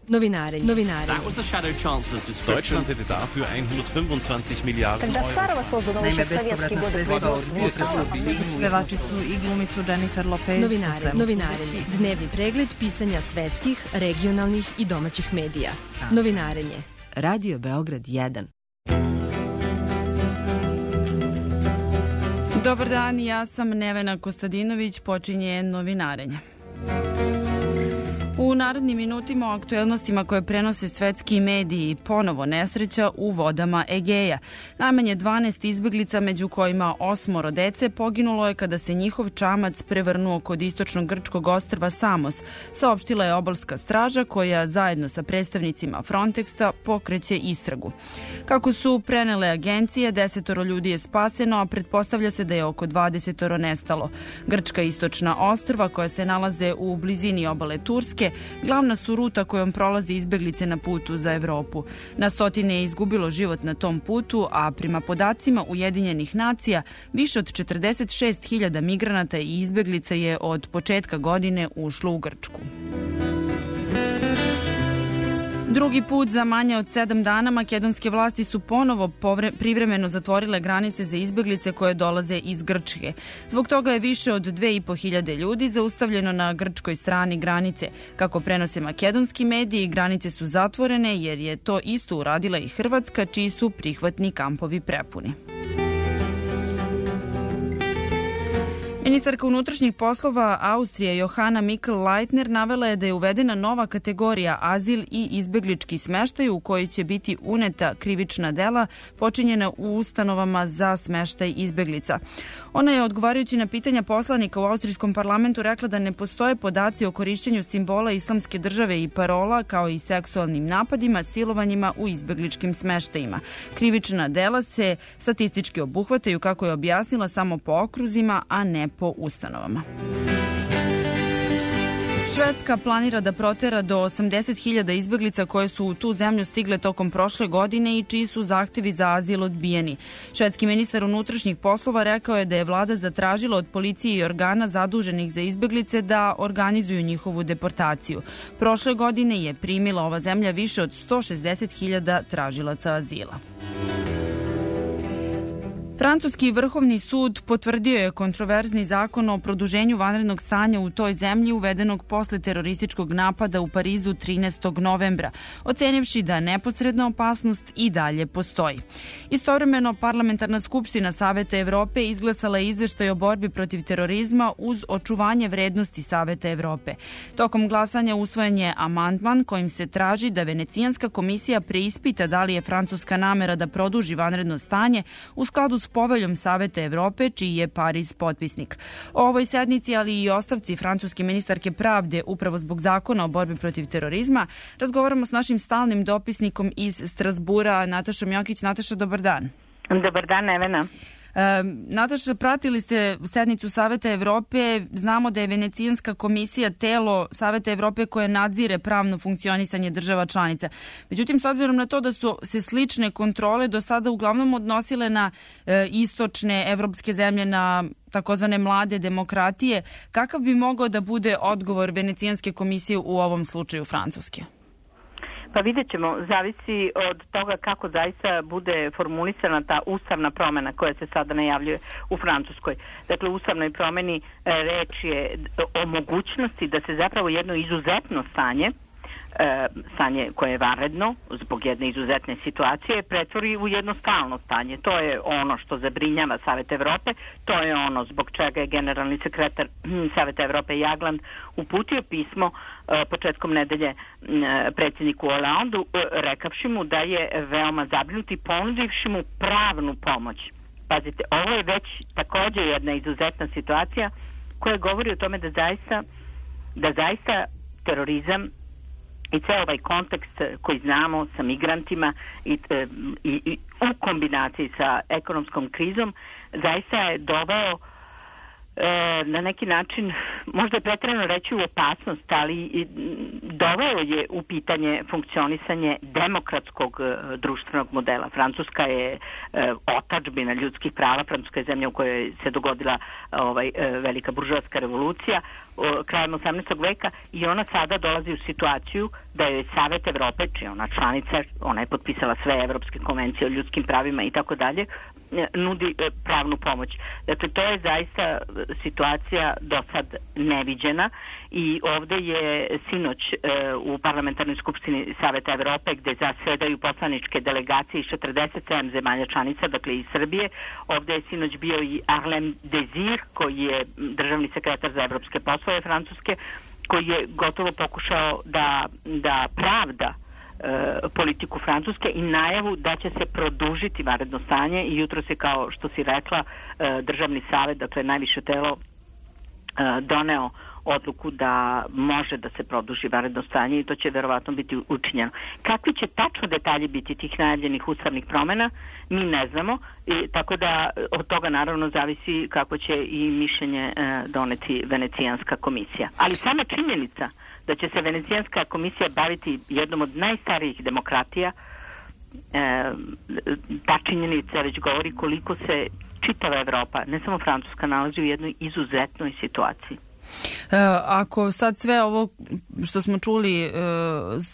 Novinarenje. Deutschland hätte dafür 125 Milijardi euro. Naime, bespovratna sredstva od pevačicu i glumicu Jennifer Lopez. Novinarenje. Dnevni pregled pisanja svetskih, regionalnih i domaćih medija. Novinarenje. Radio Beograd 1. Dobar dan, ja sam Nevena Kostadinović, počinje novinarenje. U narednim minutima o aktuelnostima koje prenose svetski mediji, ponovo nesreća u vodama Egeja. Najmanje 12 izbeglica, među kojima 8 dece, poginulo je kada se njihov čamac prevrnuo kod istočnog grčkog ostrva Samos, saopštila je obalska straža koja zajedno sa predstavnicima Frontexa pokreće istragu. Kako su prenele agencije, 10 ljudi je spaseno, a pretpostavlja se da je oko 20 nestalo. Grčka istočna ostrva koja se nalaze u blizini obale Turske glavna su ruta kojom prolaze izbeglice na putu za Evropu. Na stotine je izgubilo život na tom putu, a prema podacima Ujedinjenih nacija, više od 46.000 migranata i izbeglica je od početka godine ušlo u Grčku. Drugi put za manje od 7 dana makedonske vlasti su ponovo privremeno zatvorile granice za izbeglice koje dolaze iz Grčke. Zbog toga je više od 2.500 ljudi zaustavljeno na grčkoj strani granice. Kako prenose makedonski mediji, granice su zatvorene jer je to isto uradila i Hrvatska, čiji su prihvatni kampovi prepuni. Ministarka unutrašnjih poslova Austrije Johanna Mikl-Leitner navela je da je uvedena nova kategorija azil i izbeglički smeštaj u koji će biti uneta krivična dela počinjena u ustanovama za smeštaj izbeglica. Ona je odgovarajući na pitanja poslanika u austrijskom parlamentu rekla da ne postoje podaci o korišćenju simbola islamske države i parola kao i seksualnim napadima, silovanjima u izbegličkim smeštajima. Krivična dela se statistički obuhvataju, kako je objasnila, samo po okruzima, a ne po ustanovama. Švedska planira da protera do 80.000 izbeglica koje su u tu zemlju stigle tokom prošle godine i čiji su zahtevi za azil odbijeni. Švedski ministar unutrašnjih poslova rekao je da je vlada zatražila od policije i organa zaduženih za izbeglice da organizuju njihovu deportaciju. Prošle godine je primila ova zemlja više od 160.000 tražilaca azila. Francuski vrhovni sud potvrdio je kontroverzni zakon o produženju vanrednog stanja u toj zemlji uvedenog posle terorističkog napada u Parizu 13. novembra, ocenivši da neposredna opasnost i dalje postoji. Istovremeno, Parlamentarna skupština Saveta Evrope izglasala je izveštaj o borbi protiv terorizma uz očuvanje vrednosti Saveta Evrope. Tokom glasanja usvojen je amandman kojim se traži da Venecijanska komisija preispita da li je francuska namera da produži vanredno stanje u skladu s poveljom Saveta Evrope, čiji je Pariz potpisnik. O ovoj sednici, ali i ostavci francuske ministarke pravde upravo zbog zakona o borbi protiv terorizma, razgovaramo s našim stalnim dopisnikom iz Strazbura, Natašom Jokić. Nataša, dobar dan. Dobar dan, Nevena. Nataša, pratili ste sednicu Saveta Evrope. Znamo da je Venecijanska komisija telo Saveta Evrope koje nadzire pravno funkcionisanje država članica. Međutim, s obzirom na to da su se slične kontrole do sada uglavnom odnosile na istočne evropske zemlje, na takozvane mlade demokratije, kakav bi mogao da bude odgovor Venecijanske komisije u ovom slučaju Francuske? Pa vidjet ćemo, zavisi od toga kako zaista bude formulisana ta ustavna promjena koja se sada najavljuje u Francuskoj. Dakle, u ustavnoj promjeni reč je o mogućnosti da se zapravo jedno izuzetno stanje koje je vanredno zbog jedne izuzetne situacije pretvori u jedno stalno stanje. To je ono što zabrinjava Savet Evrope, to je ono zbog čega je generalni sekretar Saveta Evrope Jagland uputio pismo početkom nedelje predsjedniku Hollandu, rekavši mu da je veoma zabrinut i ponudivši mu pravnu pomoć. Pazite, ovo je već također jedna izuzetna situacija koja govori o tome da zaista terorizam i ceo ovaj kontekst koji znamo sa migrantima i u kombinaciji sa ekonomskom krizom zaista je doveo na neki način možda je pretjerano reći u opasnost, ali doveo je u pitanje funkcionisanje demokratskog društvenog modela. Francuska je otadžbina ljudskih prava, Francuska je zemlja u kojoj se dogodila velika buržoaska revolucija krajem 18. veka i ona sada dolazi u situaciju da je Savet Evrope, čija ona članica, ona je potpisala sve evropske konvencije o ljudskim pravima i tako dalje, nudi pravnu pomoć. Dakle, to je zaista situacija do sad neviđena i ovde je sinoć u Parlamentarnoj skupštini Saveta Evrope, gde zasedaju poslaničke delegacije iz 47 zemalja članica, dakle iz Srbije. Ovde je sinoć bio i Arlem Désir, koji je državni sekretar za evropske poslove Francuske, koji je gotovo pokušao da pravda politiku Francuske i najavu da će se produžiti vanredno stanje i jutro se, kao što si rekla, državni savet, dakle najviše telo, doneo odluku da može da se produži vanredno stanje i to će verovatno biti učinjeno. Kakvi će tačno detalji biti tih najavljenih ustavnih promjena, mi ne znamo, tako da od toga naravno zavisi kako će i mišljenje doneti Venecijanska komisija. Ali sama činjenica da će se Venecijanska komisija baviti jednom od najstarijih demokratija, ta činjenica već govori koliko se čitava Evropa, ne samo Francuska, nalazi u jednoj izuzetnoj situaciji. Ako sad sve ovo što smo čuli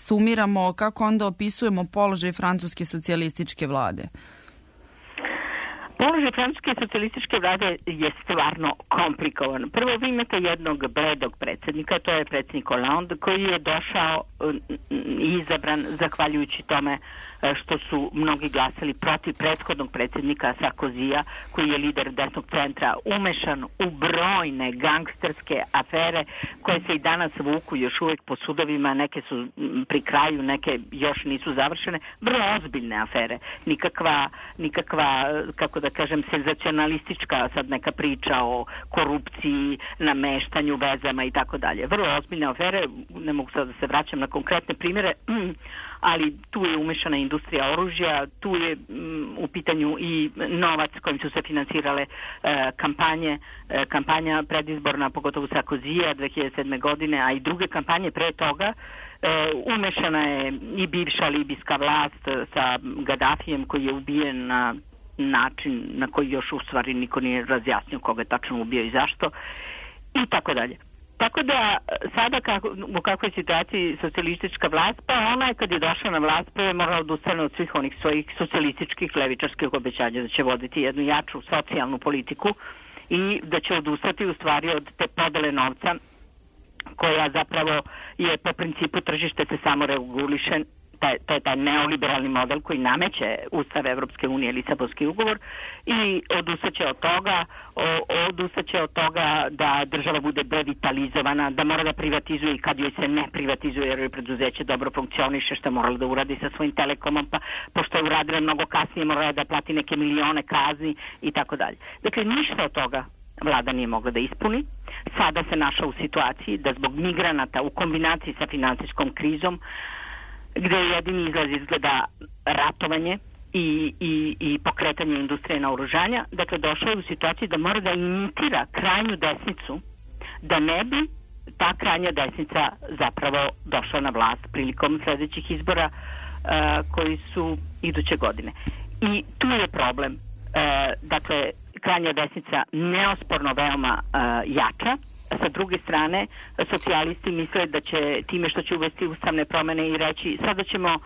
sumiramo, kako onda opisujemo položaj francuske socijalističke vlade? Položaj francuske socijalističke vlade je stvarno komplikovan. Prvo, vi imate jednog bledog predsjednika, to je predsjednik Hollande, koji je došao i izabran zahvaljujući tome što su mnogi glasali protiv prethodnog predsjednika Sarkozija, koji je lider desnog centra, umešan u brojne gangsterske afere koje se i danas vuku još uvijek po sudovima, neke su pri kraju, neke još nisu završene, vrlo ozbiljne afere, nikakva kako da kažem, senzacionalistička sad neka priča o korupciji, nameštanju, vezama i tako dalje. Vrlo ozbiljne afere, ne mogu sad da se vraćam na konkretne primjere, ali tu je umešana industrija oružja, tu je u pitanju i novac kojim su se financirale kampanja predizborna, pogotovo Sarkozija 2007. godine, a i druge kampanje pre toga. Umešana je i bivša libijska vlast sa Gaddafijem, koji je ubijen na način na koji još u stvari niko nije razjasnio koga je tačno ubio i zašto i tako dalje. Tako da sada u kakvoj situaciji socijalistička vlast, pa ona je kad je došla na vlast pa je morala odustane od svih onih svojih socijalističkih levičarskih obećanja da će voditi jednu jaču socijalnu politiku i da će odustati u stvari od te podele novca koja zapravo je po principu tržište se samo reguliše. To je taj neoliberalni model koji nameće Ustav Evropske unije, Lisabonski ugovor, i odustaće od toga da država bude devitalizovana, da mora da privatizuje i kad joj se ne privatizuje jer joj preduzeće dobro funkcioniše, što je morala da uradi sa svojim telekomom, pa pošto je uradila mnogo kasnije morala da plati neke milione kazni i tako dalje. Dakle, ništa od toga vlada nije mogla da ispuni. Sada se našla u situaciji da zbog migranata u kombinaciji sa finansijskom krizom, gde jedini izlaz izgleda ratovanje i pokretanje industrije naoružanja, dakle došao je u situaciju da mora da imitira krajnju desnicu, da ne bi ta krajnja desnica zapravo došla na vlast prilikom sljedećih izbora koji su iduće godine. I tu je problem. Dakle, krajnja desnica neosporno veoma jača. Sa druge strane, socijalisti misle da će time što će uvesti ustavne promjene i reći sada ćemo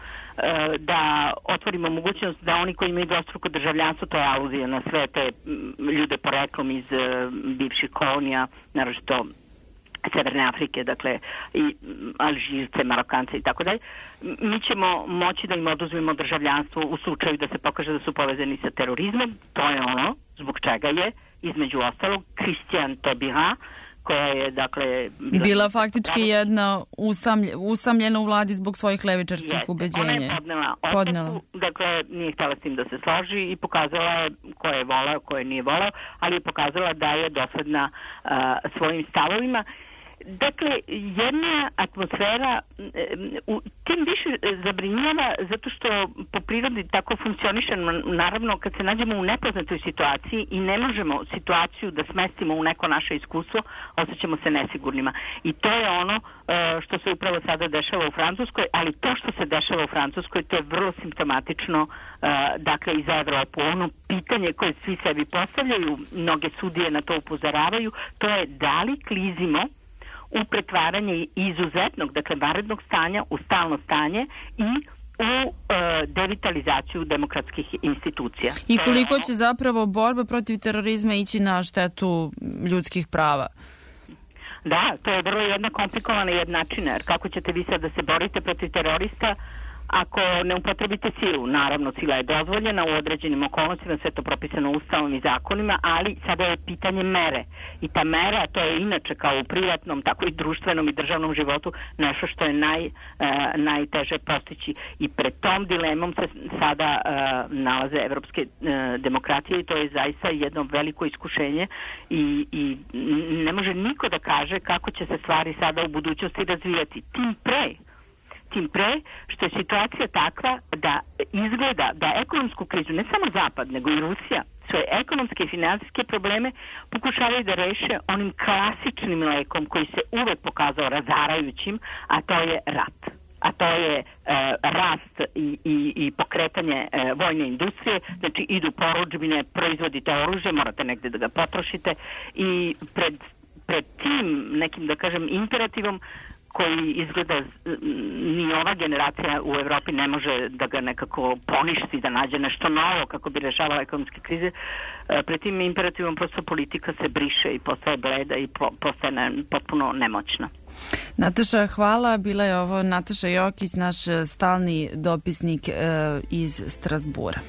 da otvorimo mogućnost da oni koji imaju dvostruko državljanstvo, to je aluzija na sve te ljude poreklom iz bivših kolonija, naročito Severne Afrike, dakle i Alžirce, Marokance i tako dalje, mi ćemo moći da im oduzmemo državljanstvo u slučaju da se pokaže da su povezani sa terorizmom. To je ono zbog čega je između ostalog Christiane Taubira, koja je, dakle, bila faktički jedna usamljena u vladi zbog svojih levičarskih ubeđenja. Ona je podnela ostavku, dakle, nije htjela s tim da se složi i pokazala je ko je volao, ko je nije volao, ali je pokazala da je dosledna svojim stavovima. Dakle, jedna atmosfera tim više zabrinjava zato što po prirodi tako funkcioniše, naravno kad se nađemo u nepoznatoj situaciji i ne možemo situaciju da smestimo u neko naše iskustvo, osjećamo se nesigurnima. I to je ono što se upravo sada dešava u Francuskoj, ali to što se dešava u Francuskoj, to je vrlo simptomatično dakle i za Evropu. Ono pitanje koje svi sebi postavljaju, mnoge sudije na to upozoravaju, to je da li klizimo u pretvaranje izuzetnog, dakle vanrednog stanja u stalno stanje i u devitalizaciju demokratskih institucija. I koliko će zapravo borba protiv terorizma ići na štetu ljudskih prava? Da, to je vrlo jedna komplikovana jednačina, jer kako ćete vi sad da se borite protiv terorista ako ne upotrebite silu? Naravno, sila je dozvoljena u određenim okolnostima, sve to propisano ustavom i zakonima, ali sada je pitanje mere. I ta mera, to je inače kao u privatnom, tako i društvenom i državnom životu, nešto što je najteže postići. I pred tom dilemom se sada nalaze evropske demokratije i to je zaista jedno veliko iskušenje i ne može niko da kaže kako će se stvari sada u budućnosti razvijati. Tim pre što je situacija takva da izgleda da ekonomsku krizu, ne samo Zapad, nego i Rusija, svoje ekonomske i finansijske probleme pokušavaju da reše onim klasičnim lekom koji se uvek pokazao razarajućim, a to je rat. A to je rast i pokretanje vojne industrije, znači idu porudžbine, proizvodite oružje, morate negde da ga potrošite i pred tim nekim, da kažem, imperativom koji izgleda ni ova generacija u Evropi ne može da ga nekako poništi, da nađe nešto novo kako bi rešavala ekonomske krize. Pred tim imperativom prosto politika se briše i postaje bleda i postaje potpuno nemoćna. Nataša, hvala. Bila je ovo Nataša Jokić, naš stalni dopisnik iz Strazbura.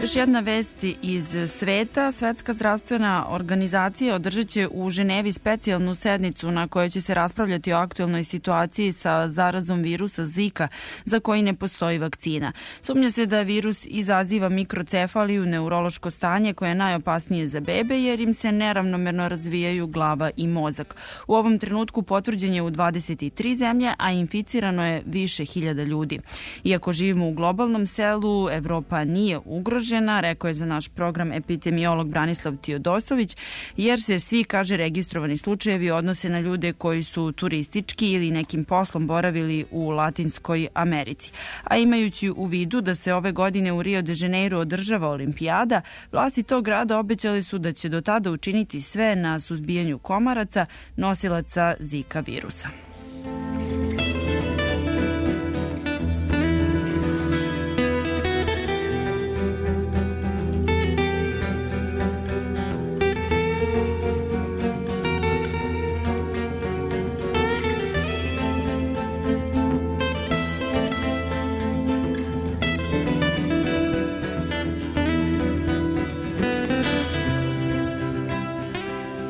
Još jedna vest iz sveta. Svetska zdravstvena organizacija održat će u Ženevi specijalnu sednicu na kojoj će se raspravljati o aktuelnoj situaciji sa zarazom virusa Zika za koji ne postoji vakcina. Sumnja se da virus izaziva mikrocefaliju, neurološko stanje koje je najopasnije za bebe jer im se neravnomerno razvijaju glava i mozak. U ovom trenutku potvrđen je u 23 zemlje, a inficirano je više hiljada ljudi. Iako živimo u globalnom selu, Evropa nije ugrožena, rekao je za naš program epidemiolog Branislav Tiodosović, jer se svi, kaže, registrovani slučajevi odnose na ljude koji su turistički ili nekim poslom boravili u Latinskoj Americi. A imajući u vidu da se ove godine u Rio de Janeiro održava olimpijada, vlasti tog grada obećali su da će do tada učiniti sve na suzbijanju komaraca, nosilaca Zika virusa.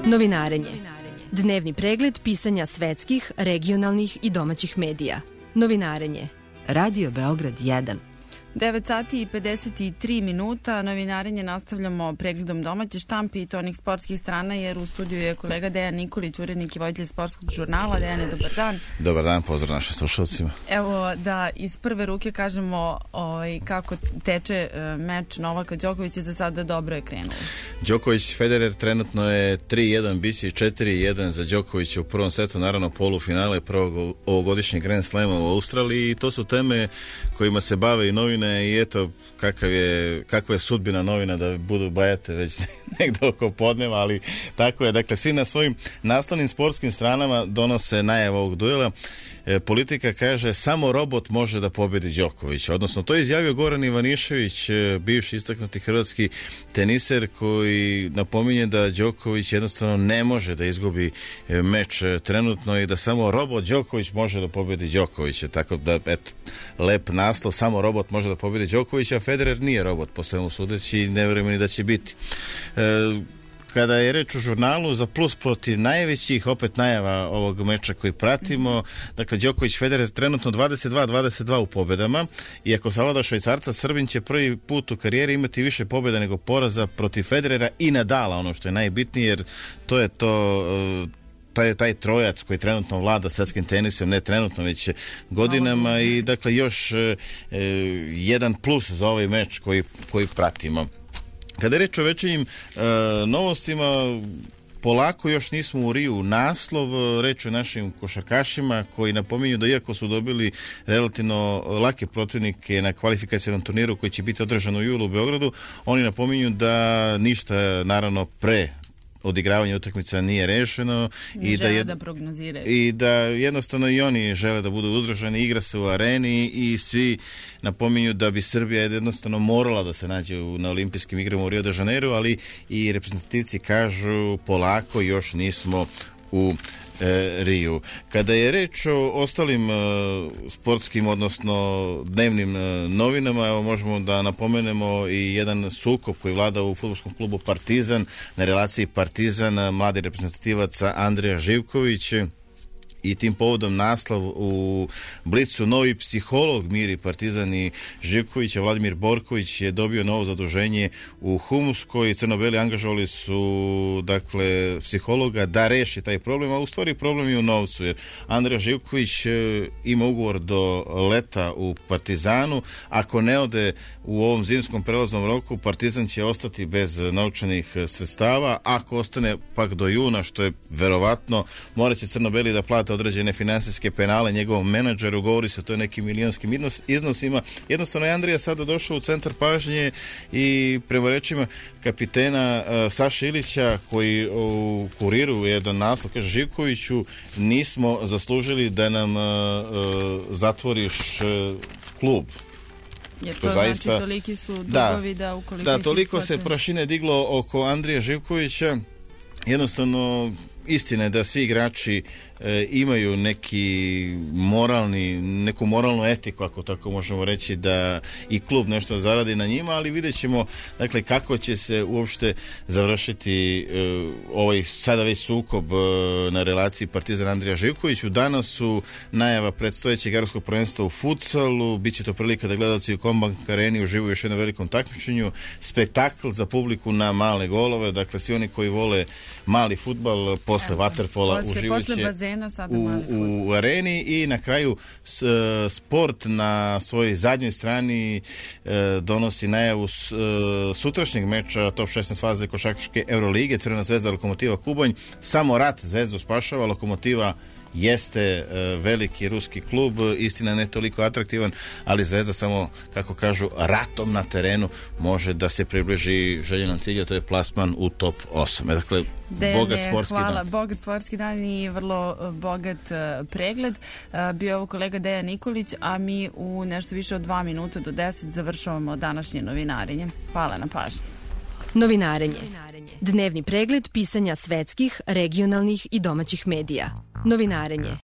Novinarenje. Dnevni pregled pisanja svetskih, regionalnih i domaćih medija. Novinarenje. Radio Beograd 1. 9 sati i 53 minuta. Novinarenje nastavljamo pregledom domaće štampe i to onih sportskih strana, jer u studiju je kolega Dejan Nikolić, urednik i voditelj sportskog žurnala. Dejane, dobar dan. Dobar dan, pozdrav našim slušalcima. Evo da iz prve ruke kažemo kako teče meč Novaka Đokovića, za sada dobro je krenuo. Đoković Federer trenutno je 3-1, biće 4-1 za Đokovića u prvom setu, naravno polufinale prvog ovogodišnjeg Grand Slema u Australiji, i to su teme kojima se bave i novine. I eto kakva je sudbina novina da budu bajate već negdje oko podneva, ali tako je. Dakle, svi na svojim naslovnim sportskim stranama donose najavu ovog duela. Politika kaže samo robot može da pobedi Đokovića, odnosno to je izjavio Goran Ivanišević, bivši istaknuti hrvatski teniser, koji napominje da Đoković jednostavno ne može da izgubi meč trenutno i da samo robot Đoković može da pobedi Đokovića. Tako da, eto, lep naslov, samo robot može da pobedi Đokovića, a Federer nije robot po svemu sudeći i ne vjerujem ni da će biti. Kada je reč o žurnalu, za plus protiv najvećih, opet najava ovog meča koji pratimo, dakle Đoković Federer trenutno 22-22 u pobedama i ako savlada Švajcarca, Srbin će prvi put u karijeri imati više pobjeda nego poraza protiv Federera i Nadala, ono što je najbitnije, jer to je taj trojac koji trenutno vlada svetskim tenisom, ne trenutno, već godinama i dakle još jedan plus za ovaj meč koji pratimo. Kada je reč o večernjim novostima, polako još nismo u Riju naslov, reč o našim košarkašima koji napominju da iako su dobili relativno lake protivnike na kvalifikacionom turniru koji će biti održan u julu u Beogradu, oni napominju da ništa naravno pre odigravanje utakmica nije rešeno i da jednostavno i oni žele da budu uzdržani, igra se u areni i svi napominju da bi Srbija jednostavno morala da se nađe na olimpijskim igrama u Rio de Janeiro, ali i reprezentativci kažu polako još nismo u Riju. Kada je reč o ostalim sportskim, odnosno dnevnim novinama, evo možemo da napomenemo i jedan sukob koji vlada u fudbalskom klubu Partizan, na relaciji Partizan, mladi reprezentativaca Andrija Živković, i tim povodom naslov u Blicu, novi psiholog miri Partizan i Živkovića, Vladimir Borković je dobio novo zaduženje u Humskoj. Crnobeli angažovali su dakle psihologa da reši taj problem, a u stvari problem je u novcu, jer Andrija Živković ima ugovor do leta u Partizanu. Ako ne ode u ovom zimskom prelaznom roku, Partizan će ostati bez novčanih sredstava. Ako ostane pak do juna, što je verovatno, morat će Crnobeli da plate određene finansijske penale njegovom menadžeru, govori se to je nekim milionskim iznosima. Jednostavno je Andrija sada došao u centar pažnje i prema rečima kapitena Saša Ilića, koji u Kuriru jedan naslov kaže: Živkoviću, nismo zaslužili da nam zatvoriš klub. Jer to zaista, znači toliki su dugovi da ukoliko... Da, toliko se prašine diglo oko Andrija Živkovića. Jednostavno, istina je da svi igrači imaju neku moralnu etiku, ako tako možemo reći, da i klub nešto zaradi na njima, ali vidjet ćemo dakle kako će se uopšte završiti ovaj sada već sukob na relaciji Partizan Andrija Živkoviću. Danas su najava predstojećeg evropskog prvenstva u futsalu, bit će to prilika da gledalci u Combank areni uživaju još jednom velikom takmičenju, spektakl za publiku na male golove, dakle svi oni koji vole mali fudbal posle vaterpola uživaće u areni i na kraju sport na svojoj zadnjoj strani donosi najavu sutrašnjeg meča top 16 faze košarkaške Eurolige, Crvena zvezda Lokomotiva Kubanj. Samo rat Zvezdu spašava, Lokomotiva jeste veliki ruski klub, istina ne toliko atraktivan, ali Zvezda samo, kako kažu, ratom na terenu može da se približi željenom cilju, to je plasman u top 8. Dakle, bogat sportski dan. Bogat sportski dan i vrlo bogat pregled. Bio je ovo kolega Dejan Nikolić, a mi u nešto više od 2 minuta do 10 završavamo današnje novinarenje. Hvala na pažnji. Novinarenje. Dnevni pregled pisanja svetskih, regionalnih i domaćih medija. Novinarenje.